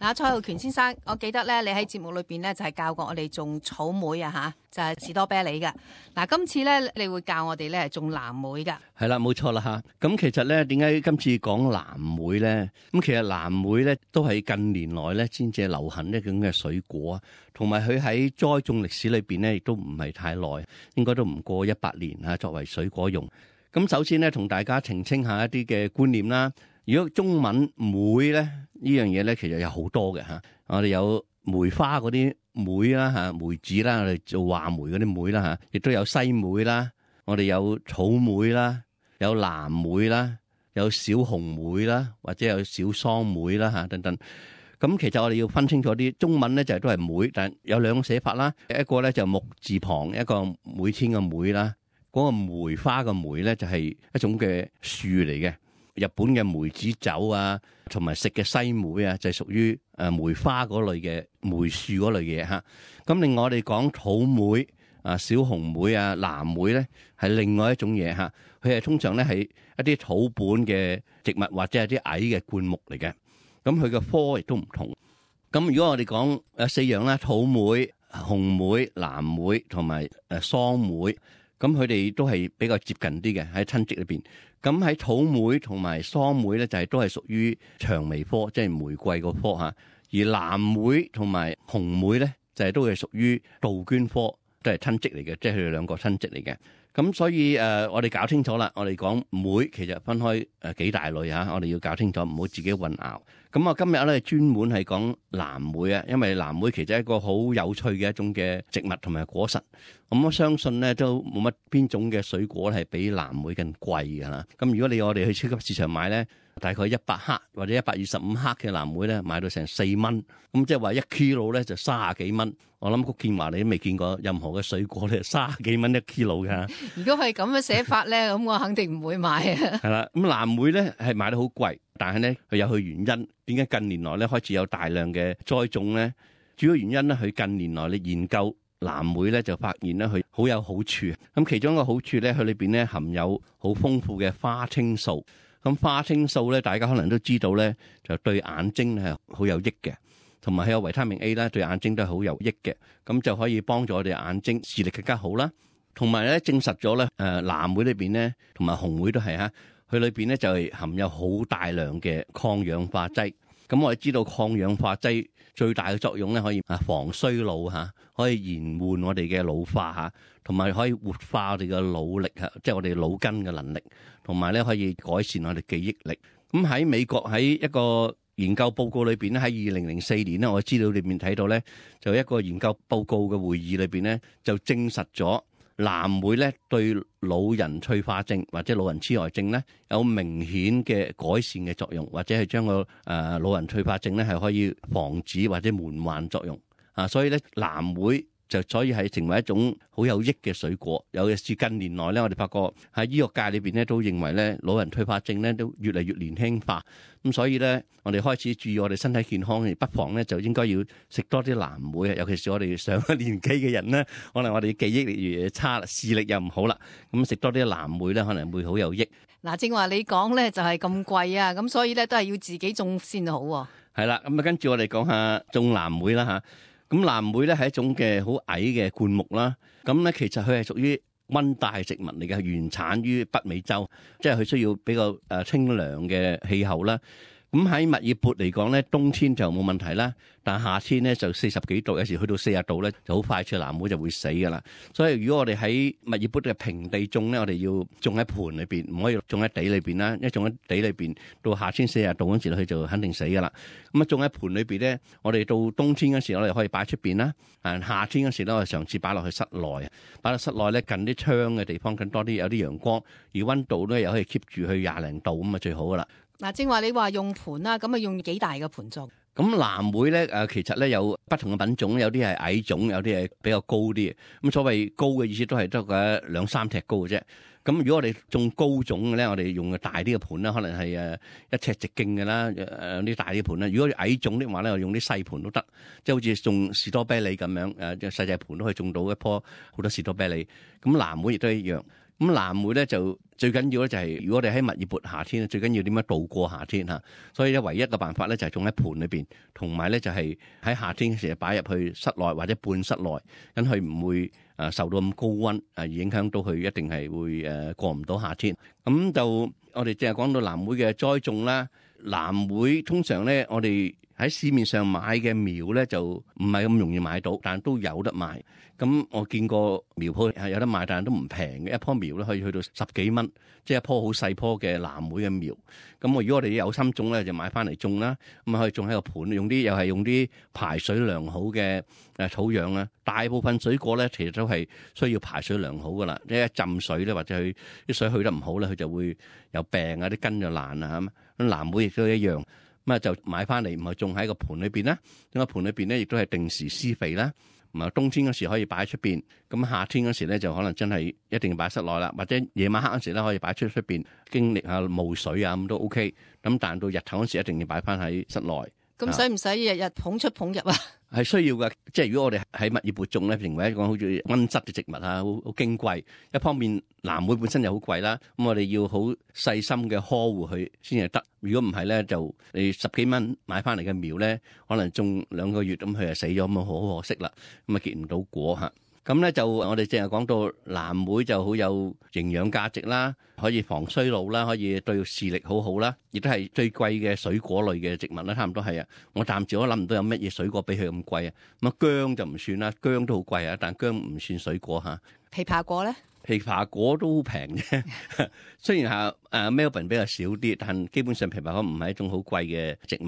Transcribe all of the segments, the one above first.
嗱，蔡浩權先生，我記得咧，你喺節目裏邊咧就係教過我哋種草莓啊吓，就係士多啤梨嘅。嗱，今次咧你會教我哋咧種藍莓嘅。係啦，冇錯啦吓。咁其實咧，點解今次講藍莓咧？咁其實藍莓咧都係近年來咧先至流行一種嘅水果啊，同埋佢喺栽種歷史裏邊咧亦都唔係太耐，應該都唔過100年啊，作為水果用。咁首先咧，同大家澄清下一啲嘅觀念啦。如果中文莓咧呢樣嘢咧，其實有好多嘅嚇。我哋有梅花嗰啲莓啦嚇，梅子啦，我哋做話梅嗰啲莓啦嚇，亦都有西梅啦。我哋有草莓啦，有藍莓啦，有小紅莓啦，或者有小桑莓啦嚇等等。咁其實我哋要分清楚啲，中文咧就係都係莓，但有兩個寫法啦。一個咧就木字旁，一個每天嘅每啦。嗰個梅花嘅梅咧就係一種嘅樹嚟嘅。日本嘅梅子酒啊，同埋食嘅西梅啊，就係屬於梅花嗰類嘅梅樹嗰類嘢嚇。咁另外我哋講草莓啊、小紅莓啊、藍莓咧，係另外一種嘢嚇。佢係通常咧係一啲土本嘅植物或者係啲矮嘅灌木嚟嘅。咁佢嘅科亦都唔同。咁如果我哋講4樣啦，草莓、紅莓、藍莓同埋桑莓，咁佢哋都係比較接近啲嘅喺親戚裏邊。咁喺草莓同埋桑莓咧，就係都係屬於薔薇科，即係玫瑰個科嚇。而藍莓同埋紅莓咧，就係都係屬於杜鵑科，都係親戚嚟嘅，即係佢哋兩個親戚嚟嘅。咁所以我哋搞清楚啦，我哋講莓其實分開幾大類嚇，我哋要搞清楚，唔好自己混淆。咁我今日咧專門係講藍莓啊，因為藍莓其實係一個好有趣嘅一種嘅植物同埋果實。咁我相信咧都冇乜邊種嘅水果係比藍莓更貴㗎啦。咁如果我哋去超級市場買咧，大概100克或者125克嘅藍莓咧，買到成4蚊。咁即係話1 kilo 咧就30幾蚊。我諗谷建華你都未見過任何嘅水果咧30幾蚊1 kilo 㗎。如果係咁嘅寫法咧，咁我肯定唔會買啊。係啦，咁藍莓咧係買得好貴，但係咧佢有佢原因。點解近年來咧開始有大量嘅栽種咧？主要原因咧，佢近年來你研究藍莓咧就發現咧佢好有好處。咁其中一個好處咧，佢裏邊咧含有好豐富嘅花青素。咁花青素咧，大家可能都知道咧，就對眼睛係好有益嘅，同埋係有維他命 A 啦，對眼睛都係好有益嘅。咁就可以幫助我哋眼睛視力更加好啦。同埋咧證實咗咧，藍莓裏邊咧同埋紅莓都係嚇。佢裏邊咧就係含有好大量嘅抗氧化劑。咁我哋知道抗氧化劑最大嘅作用咧，可以防衰老嚇，可以延緩我哋嘅老化嚇，同埋可以活化我哋嘅腦力嚇，即係我哋腦筋嘅能力，同埋咧可以改善我哋記憶力。咁喺美國喺一個研究報告裏邊咧，喺2004年咧，我資料裏面睇到咧，就一個研究報告嘅會議裏邊咧，就證實咗藍莓咧對老人退化症或者老人痴呆症咧有明顯嘅改善嘅作用，或者係將個老人退化症咧係可以防止或者緩緩作用啊。所以咧藍莓就所以係成為一種好有益嘅水果。尤其是近年來咧，我哋發覺喺醫學界裏邊咧都認為咧老人退化症咧都越嚟越年輕化。咁所以咧我哋開始注意我哋身體健康，不妨咧就應該要食多啲藍莓啊。尤其是我哋上咗年紀嘅人咧，可能我哋記憶力越差啦，視力又唔好啦，咁食多啲藍莓咧可能會好有益。嗱，正話你講咧就係咁貴啊，咁所以咧都係要自己種先好喎。係啦，咁啊跟住我哋講下種藍莓啦嚇。咁藍莓咧係一種嘅好矮嘅灌木啦。咁咧其實佢係屬於溫帶植物嚟嘅，原產於北美洲，即係佢需要比較清涼嘅氣候啦。咁喺密爾勃嚟講咧，冬天就冇問題啦，但夏天咧就40幾度，有時去到40度咧，就好快脆藍莓就會死噶啦。所以如果我哋喺密爾勃嘅平地種咧，我哋要種喺盆裏邊，唔可以種喺地裏邊啦。一種喺地裏邊，到夏天40度嗰時，佢就肯定死噶啦。咁啊，種喺盆裏邊咧，我哋到冬天嗰時，我哋可以擺出邊啦。夏天嗰時咧，我哋嘗試擺落去室內，擺落室內咧近啲窗嘅地方，更多啲有啲陽光，而溫度咧又可以 keep 住去20零度咁啊，最好噶啦。嗱，正話你話用盤啦，咁啊用幾大嘅盤種？咁藍莓咧其實咧有不同嘅品種，有啲係矮種，有啲係比較高啲。咁所謂高嘅意思都係得個2-3尺高嘅啫。咁如果我哋種高種嘅咧，我哋用個大啲嘅盤啦，可能係1尺直徑嘅啦，啲大啲盤啦。如果矮種的話咧，我用啲細盤都得，即係好似種士多啤梨咁樣，細細盤都可以種到一棵好多士多啤梨。咁藍莓亦都一樣。咁藍莓咧就最緊要咧就係，如果我哋喺密熱夏天，最緊要點樣度過夏天嚇。所以咧唯一嘅辦法咧就係種喺盆裏邊，同埋咧就係喺夏天嘅時候擺入去室內或者半室內，咁佢唔會受到咁高溫而影響到佢，一定係會過唔到夏天。咁就我哋淨係講到藍莓嘅栽種啦。藍莓通常咧我哋喺市面上買嘅苗咧就唔係咁容易買到，但都有得賣。咁我見過苗鋪係有得賣，但係都唔平嘅。一樖苗咧可以去到10幾蚊，即係一樖好細樖嘅藍莓嘅苗。咁如果我哋有心種咧，就買翻嚟種啦。咁可以種喺個盤，用啲排水良好嘅土壤啦。大部分水果咧其實都係需要排水良好噶啦。一浸水咧或者佢啲水去得唔好咧，佢就會有病啊，啲根就爛啊咁。咁藍莓亦都一樣。咁就買翻嚟，唔係種喺個盤裏邊啦。咁個盤裏邊咧，亦都係定時施肥啦。唔係冬天嗰時可以擺喺出邊，咁夏天嗰時咧就可能真係一定要擺室內啦，或者夜晚黑嗰時咧可以擺出邊經歷下霧水啊，咁都 OK。咁但到日頭嗰時一定要擺翻喺室內。咁使唔使日日捧出捧入啊？係需要嘅，即係如果我哋喺密葉播種咧，成為一個好似溫室嘅植物啊，好矜貴。一方面藍莓本身又好貴啦，咁我哋要好細心嘅呵護佢先至得。如果唔係咧，就你10幾蚊買翻嚟嘅苗咧，可能種2個月咁佢就死咗，咁好可惜啦。咁啊結唔到果嚇。咁咧就我哋淨係講到藍莓就好有營養價值啦，可以防衰老啦，可以對視力好好啦，亦都係最貴嘅水果類嘅植物啦，差唔多係啊。我暫時都諗唔到有乜嘢水果比佢咁貴啊。咁啊薑就唔算啦，薑都好貴啊，但薑唔算水果嚇。枇杷果咧？枇杷果都平啫，雖然係Melbourne 比較少啲，但基本上枇杷果唔係一種好貴嘅植物。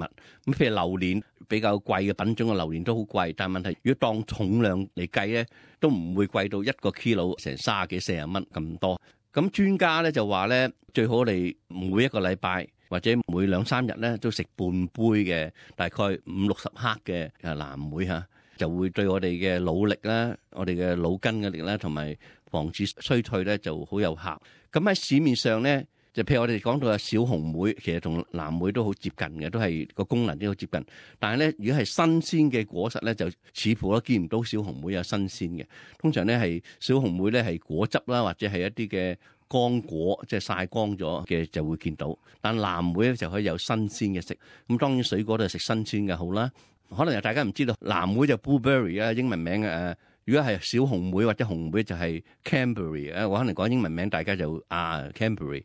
咁譬如榴蓮比較貴嘅品種嘅榴蓮都好貴，但係問題如果當重量嚟計咧，都唔會貴到1個 kilo 成30幾40蚊咁多。咁專家咧就話咧，最好我哋每一個禮拜或者每2-3日咧都食半杯嘅大概50-60克嘅藍莓嚇，就會對我哋嘅腦力啦、我哋嘅腦筋嘅力啦，同埋防止衰退咧就好有效。咁喺市面上咧，就譬如我哋講到小紅莓，其實同藍莓都好接近嘅，都係個功能都好接近。但係咧，如果係新鮮嘅果實咧，就似乎都見唔到小紅莓有新鮮嘅。通常咧係小紅莓咧係果汁啦，或者係一啲嘅乾果，即係曬乾咗嘅就會見到。但藍莓咧就可以有新鮮嘅食。咁當然水果都係食新鮮嘅好啦。可能大家唔知道，藍莓就 blueberry 啊，英文名嘅如果係小紅莓或者紅莓就係 Cranberry 啊，我可能講英文名大家就Cranberry。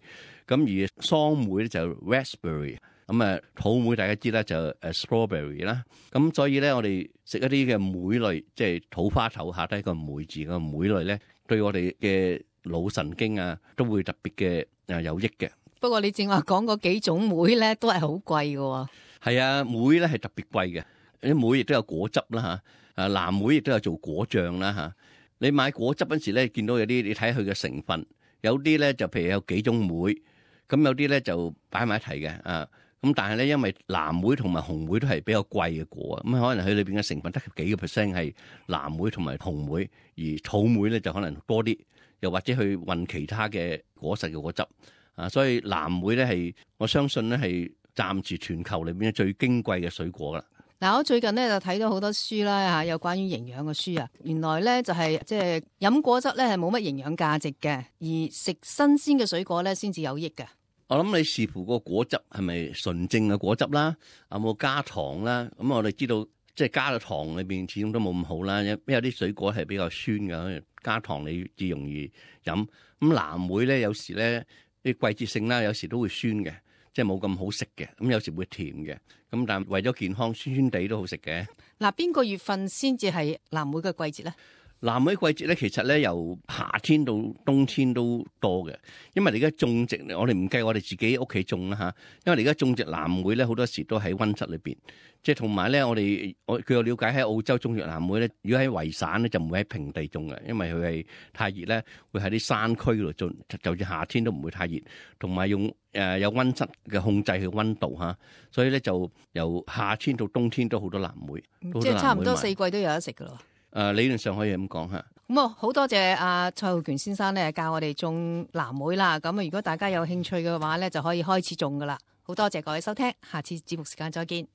咁而桑莓咧就 Raspberry。咁土莓大家知啦就Strawberry 啦。咁所以咧我哋食一啲嘅莓類，即係土花頭下低個莓字個莓類咧，對我哋嘅腦神經都會特別嘅有益嘅。不過你正話講嗰幾種莓咧都係好貴㗎。係啊，莓咧係特別貴嘅。啲莓亦都有果汁啦嚇，藍莓亦都有做果醬啦嚇。你買果汁嗰時咧，見到有啲你睇佢嘅成分，有啲咧就譬如有幾種莓，咁有啲咧就擺埋一齊嘅咁但係咧，因為藍莓同埋紅莓都係比較貴嘅果咁可能佢裏邊嘅成分得幾個 percent 係藍莓同埋紅莓，而草莓咧就可能多啲，又或者去混其他嘅果實嘅果汁所以藍莓咧係我相信咧係暫時全球裏邊最矜貴嘅水果啦。嗱，我最近咧就睇到好多書啦有關於營養嘅書啊。原來咧就係即係飲果汁咧係冇乜營養價值嘅，而食新鮮嘅水果咧先至有益嘅。我諗你視乎個果汁係咪純正嘅果汁啦，有冇加糖啦？咁我哋知道即係加咗糖裏邊始終都冇咁好啦，因為有啲水果係比較酸嘅，加糖你至容易飲。咁藍莓咧有時咧啲季節性啦，有時都會酸嘅。即係冇咁好食嘅，咁有時會甜嘅，咁但係為咗健康，酸酸地都好食嘅。嗱，邊個月份先至係藍莓嘅季節咧？藍莓季節咧，其實咧由夏天到冬天都多嘅，因為你而家種植，我哋唔計我哋自己屋企種啦嚇，因為你而家種植藍莓咧，好多時都喺溫室裏邊，即係同埋咧，據我了解喺澳洲種植藍莓咧，如果喺維省咧就唔會喺平地種嘅，因為佢係太熱咧，會喺啲山區度種，就算夏天都唔會太熱，同埋用有溫室嘅控制佢溫度嚇，所以咧就由夏天到冬天都好多藍莓，即係差唔多4季都有得食噶咯。理論上可以咁講嚇。咁好多謝蔡浩權先生咧教我哋種藍莓啦。咁如果大家有興趣嘅話咧，就可以開始種噶啦。好多謝各位收聽，下次節目時間再見。